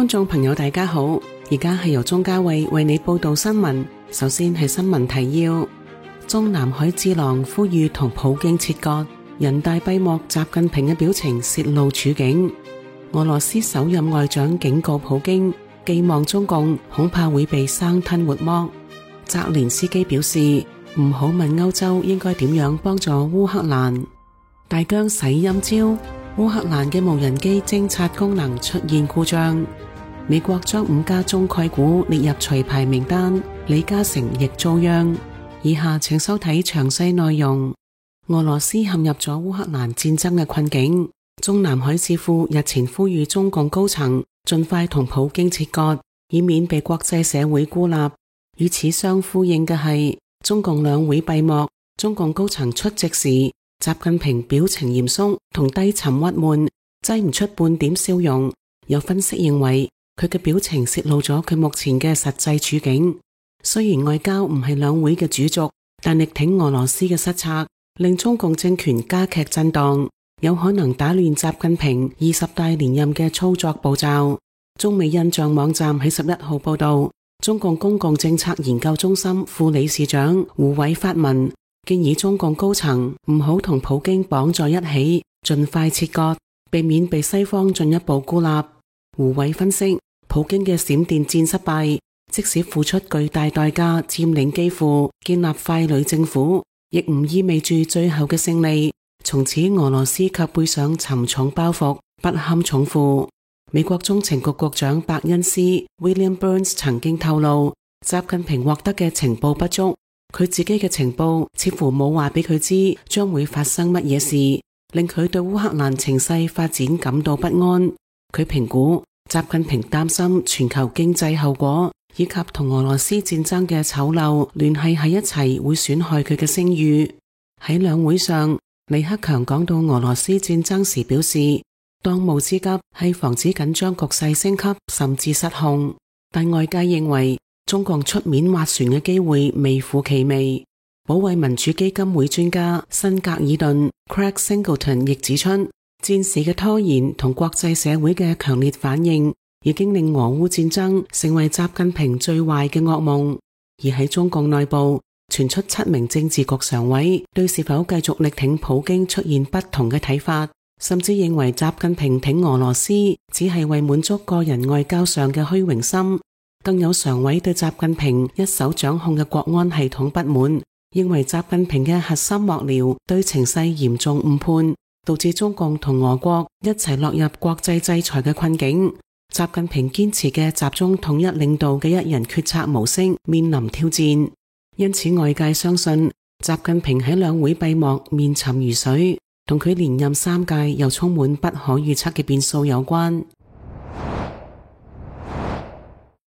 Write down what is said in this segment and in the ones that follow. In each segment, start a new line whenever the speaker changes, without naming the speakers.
觀眾朋友大家好，而家係由鍾嘉慧為你報道新聞。首先係新聞提要：中南海智囊呼籲同普京切割，人大閉幕，習近平嘅表情泄露處境。俄羅斯首任外長警告普京，寄望中共恐怕會被生吞活剝。澤連斯基表示，唔好問歐洲應該點樣幫助烏克蘭。大疆洗陰招，烏克蘭嘅無人機偵察功能出現故障。美國將5家中概股列入除牌名單，李嘉誠亦遭殃。以下請收睇詳細內容。俄羅斯陷入咗烏克蘭戰爭嘅困境，中南海智庫日前呼籲中共高層盡快同普京切割，以免被國際社會孤立。與此相呼應嘅係，中共兩會閉幕，中共高層出席時，習近平表情嚴肅同低沉鬱悶，擠唔出半點笑容。有分析認為，佢嘅表情泄露咗佢目前嘅實際處境。雖然外交唔係兩會嘅主軸，但力挺俄羅斯嘅失策，令中共政權加劇震盪，有可能打亂習近平20大連任嘅操作步驟。中美印象網站喺11號報道，中共公共政策研究中心副理事長胡偉發文，建議中共高層唔好同普京綁在一起，盡快切割，避免被西方進一步孤立。胡偉分析，普京嘅閃電戰失敗，即使付出巨大代價佔領基輔，建立傀儡政府，亦唔意味住最後嘅勝利。從此俄羅斯卻背上沉重包袱，不堪重負。美國中情局局長伯恩斯 William Burns 曾經透露，習近平獲得嘅情報不足，佢自己嘅情報似乎冇話俾佢知將會發生乜嘢事，令佢對烏克蘭情勢發展感到不安。佢評估習近平擔心全球經濟後果以及同俄羅斯戰爭嘅醜陋聯繫喺一齊，會損害佢嘅聲譽。喺兩會上，李克強講到俄羅斯戰爭時表示，當務之急係防止緊張局勢升級甚至失控，但外界認為中共出面斡旋嘅機會微乎其微。保衛民主基金會專家辛格爾頓 Craig Singleton 亦指出，戰事嘅拖延同國際社會嘅強烈反應，已經令俄烏戰爭成為習近平最壞嘅噩夢。而喺中共內部傳出7名政治局常委對是否繼續力挺普京出現不同嘅睇法，甚至認為習近平挺俄羅斯只係為滿足個人外交上嘅虛榮心。更有常委對習近平一手掌控嘅國安系統不滿，認為習近平嘅核心幕僚對情勢嚴重誤判，導致中共同俄國一齊落入國際制裁嘅困境。習近平堅持嘅集中統一領導嘅一人決策模式面臨挑戰，因此外界相信習近平喺兩會閉幕面沉如水，同佢連任3屆又充滿不可預測嘅變數有關。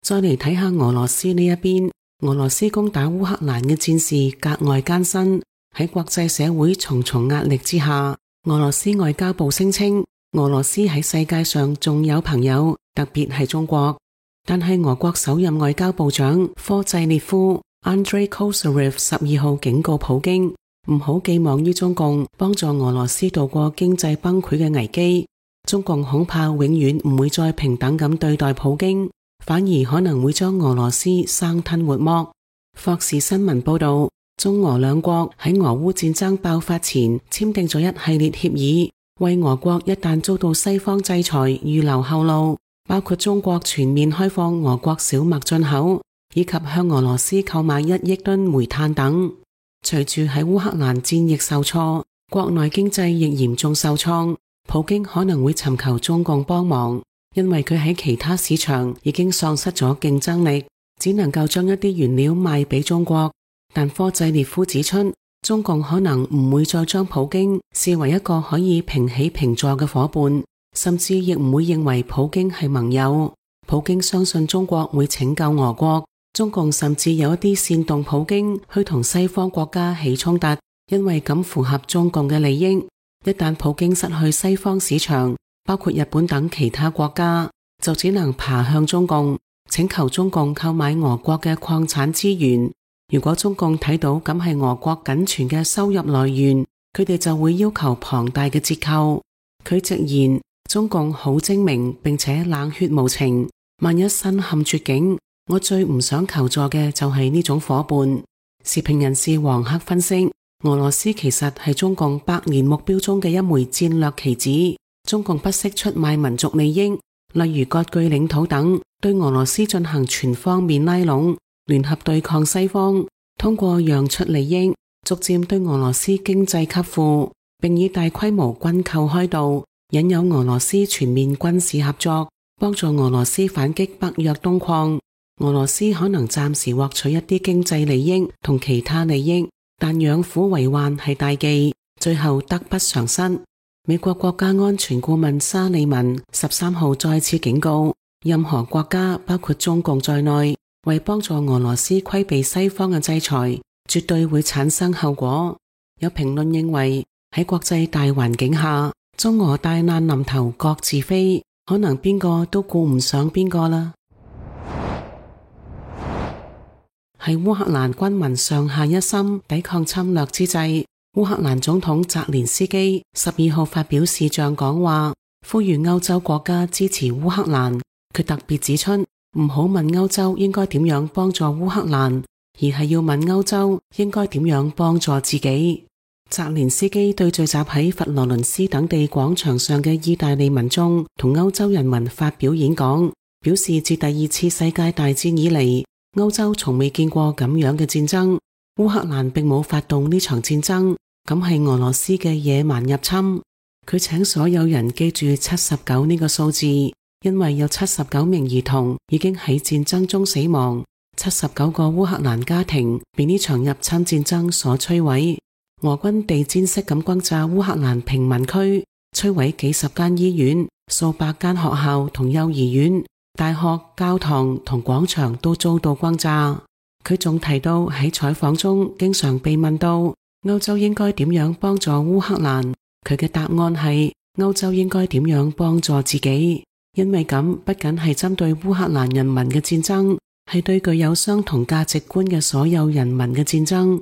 再嚟睇下俄羅斯呢一邊，俄羅斯攻打烏克蘭嘅戰事格外艱辛，喺國際社會重重壓力之下，俄羅斯外交部聲稱，俄羅斯喺世界上仲有朋友，特別係中國。但係俄國首任外交部長科濟列夫 Andrei Kozyrev 12號警告普京，唔好寄望於中共幫助俄羅斯度過經濟崩潰嘅危機。中共恐怕永遠唔會再平等咁對待普京，反而可能會將俄羅斯生吞活剝。霍士新聞報道，中俄兩國喺俄烏戰爭爆發前簽訂咗一系列協議，為俄國一旦遭到西方制裁預留後路，包括中國全面開放俄國小麥進口，以及向俄羅斯購買1億噸煤炭等。隨住喺烏克蘭戰役受挫，國內經濟亦嚴重受創，普京可能會尋求中共幫忙，因為佢喺其他市場已經喪失咗競爭力，只能夠將一啲原料賣俾中國。但科濟列夫指出，中共可能唔會再將普京視為一個可以平起平坐嘅夥伴，甚至亦唔會認為普京係盟友。普京相信中國會拯救俄國，中共甚至有一啲煽動普京去同西方國家起衝突，因為咁符合中共嘅利益。一旦普京失去西方市場，包括日本等其他國家，就只能爬向中共，請求中共購買俄國嘅礦產資源。如果中共睇到咁係俄國僅存嘅收入來源，佢哋就會要求龐大嘅折扣。佢直言，中共好精明並且冷血無情，萬一身陷絕境，我最唔想求助嘅就係呢種夥伴。時評人士黃克分析，俄羅斯其實係中共百年目標中嘅一枚戰略棋子。中共不惜出賣民族利益，例如割據領土等，對俄羅斯進行全方面拉攏，聯合對抗西方，通過讓出利益，逐漸對俄羅斯經濟給付，並以大規模軍購開道，引誘俄羅斯全面軍事合作，幫助俄羅斯反擊北約東擴。俄羅斯可能暫時獲取一啲經濟利益同其他利益，但養虎為患係大忌，最後得不償失。美國國家安全顧問沙利文13號再次警告，任何國家包括中共在內，為幫助俄羅斯規避西方嘅制裁，絕對會產生後果。有評論認為，喺國際大環境下，中俄大難臨頭各自飛，可能邊個都顧唔上邊個啦。喺烏克蘭軍民上下一心抵抗侵略之際，烏克蘭總統澤連斯基12號發表視像講話，呼籲歐洲國家支持烏克蘭。佢特別指出，唔好問歐洲應該點樣幫助烏克蘭，而係要問歐洲應該點樣幫助自己。澤連斯基對聚集喺佛羅倫斯等地廣場上嘅意大利民眾同歐洲人民發表演講，表示自第2次世界大戰以嚟，歐洲從未見過咁樣嘅戰爭。烏克蘭並冇發動呢場戰爭，咁係俄羅斯嘅野蠻入侵。佢請所有人記住79呢個數字，因為有79名兒童已經喺戰爭中死亡，79個烏克蘭家庭被呢場入侵戰爭所摧毀。俄軍地毯式咁轟炸烏克蘭平民區，摧毀幾十間醫院、數百間學校同幼兒園、大學、教堂同廣場都遭到轟炸。佢仲提到喺採訪中經常被問到歐洲應該點樣幫助烏克蘭，佢嘅答案係歐洲應該點樣幫助自己，因為咁不僅係針對烏克蘭人民嘅戰爭，係對具有相同價值觀嘅所有人民嘅戰爭。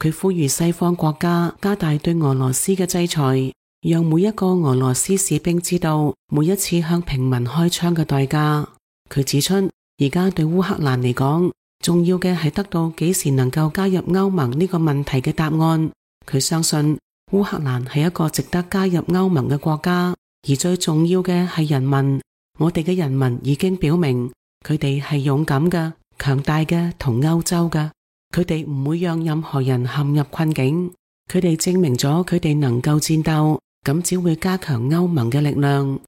佢呼籲西方國家加大對俄羅斯嘅制裁，讓每一個俄羅斯士兵知道每一次向平民開槍嘅代價。佢指出，而家對烏克蘭嚟講，重要嘅係得到幾時能夠加入歐盟呢個問題嘅答案。佢相信烏克蘭係一個值得加入歐盟嘅國家，而最重要嘅係人民。我哋嘅人民已經表明，佢哋係勇敢嘅、強大嘅同歐洲嘅。佢哋唔會讓任何人陷入困境，佢哋證明咗佢哋能夠戰鬥，咁只會加強歐盟嘅力量。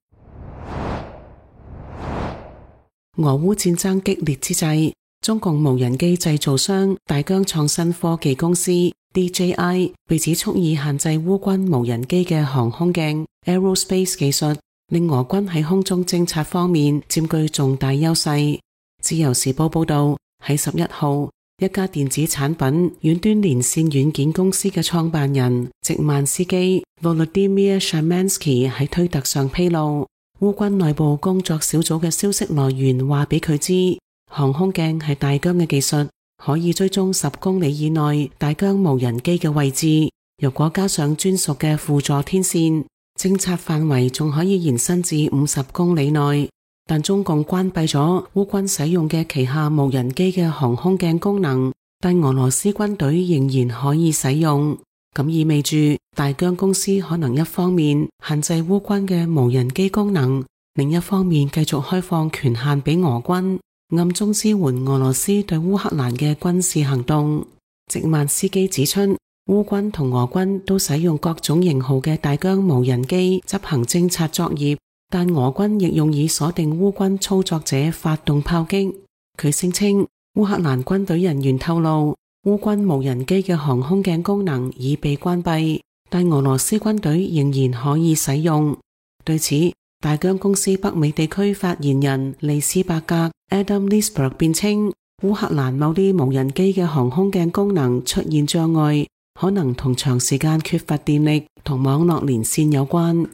俄烏戰爭激烈之際，中共無人機製造商大疆創新科技公司 DJI 被指蓄意限制烏軍無人機嘅航空鏡 Aerospace 技術，令俄軍喺空中偵察方面佔據重大優勢。自由時報報道，喺11號，一家電子產品遠端連線軟件公司嘅創辦人席曼斯基 Volodymyr Shamansky 喺推特上披露，烏軍內部工作小組嘅消息來源話俾佢知，航空鏡係大疆嘅技術，可以追蹤10公里以內大疆無人機嘅位置。如果加上專屬嘅輔助天線，偵察範圍仲可以延伸至50公里內。但中共關閉咗烏軍使用嘅旗下無人機嘅航空鏡功能，但俄羅斯軍隊仍然可以使用。咁意味住大疆公司可能一方面限制烏軍嘅無人機功能，另一方面繼續開放權限俾俄軍，暗中支援俄羅斯對烏克蘭嘅軍事行動。席曼斯基指出，烏軍同俄軍都使用各種型號嘅大疆無人機執行偵察作業，但俄軍亦用以鎖定烏軍操作者發動炮擊。佢聲稱，烏克蘭軍隊人員透露，烏軍無人機嘅航空鏡功能已被關閉，但俄羅斯軍隊仍然可以使用。對此，大疆公司北美地區發言人利斯伯格 Adam Lisberg 辯稱，烏克蘭某啲無人機嘅航空鏡功能出現障礙，可能同長時間缺乏電力同網絡連線有關。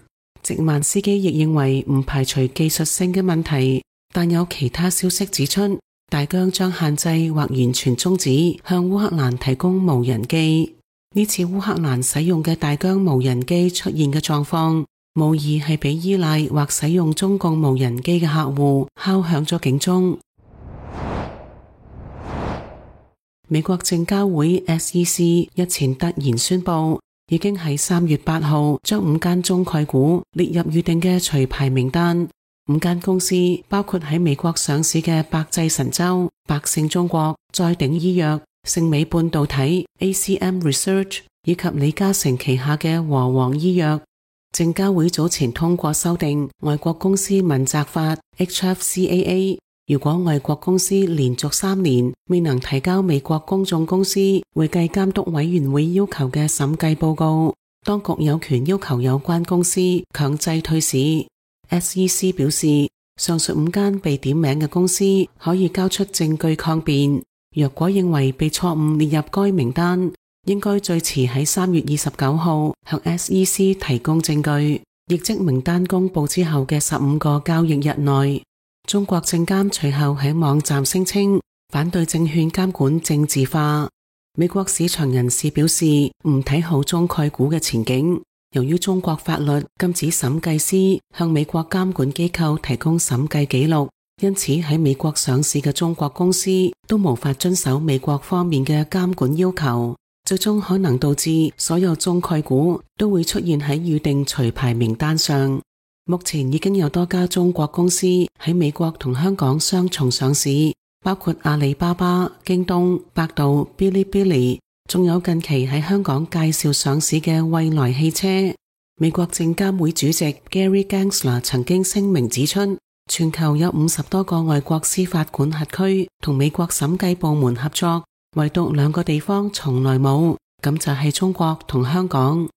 席曼斯基亦認為唔排除技術性嘅問題，但有其他消息指出，大疆將限制或完全終止向烏克蘭提供無人機。呢次烏克蘭使用嘅大疆無人機出現嘅狀況，無疑係俾依賴或使用中共無人機嘅客戶敲響咗警鐘。美國證交會 SEC 日前突然宣布，已經喺3月8號將5間中概股列入預定嘅除牌名單。5間公司包括喺美國上市嘅百濟神州、百勝中國、再鼎醫藥、盛美半導體、ACM Research 以及李嘉誠旗下嘅和黃醫藥。證交會早前通過修訂外國公司問責法 HFCAA， 如果外國公司連續3年未能提交美國公眾公司會計監督委員會要求嘅審計報告，當局有權要求有關公司強制退市。SEC 表示，上述5間被點名嘅公司可以交出證據抗辯，若果認為被錯誤列入該名單，應該最遲喺3月29號向 SEC 提供證據，亦即名單公佈之後嘅15個交易日內。中國證監隨後喺網站聲稱反對證券監管政治化。美國市場人士表示唔睇好中概股嘅前景，由於中國法律禁止審計師向美國監管機構提供審計記錄，因此喺美國上市嘅中國公司都無法遵守美國方面嘅監管要求，最終可能導致所有中概股都會出現喺預定除牌名單上。目前已經有多家中國公司喺美國同香港雙重上市，包括阿里巴巴、京東、百度、嗶哩嗶哩，仲有近期喺香港介紹上市嘅蔚來汽車。美國證監會主席 Gary Gensler 曾經聲明指出，全球有50多個外國司法管轄區同美國審計部門合作，唯獨2個地方從來冇，咁就係中國同香港。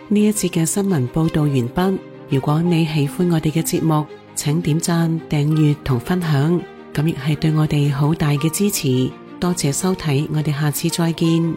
呢一節嘅新聞報道完畢。如果你喜歡我哋嘅節目，請點讚、訂閱同分享，咁亦係對我哋好大嘅支持。多謝收睇，我哋下次再見。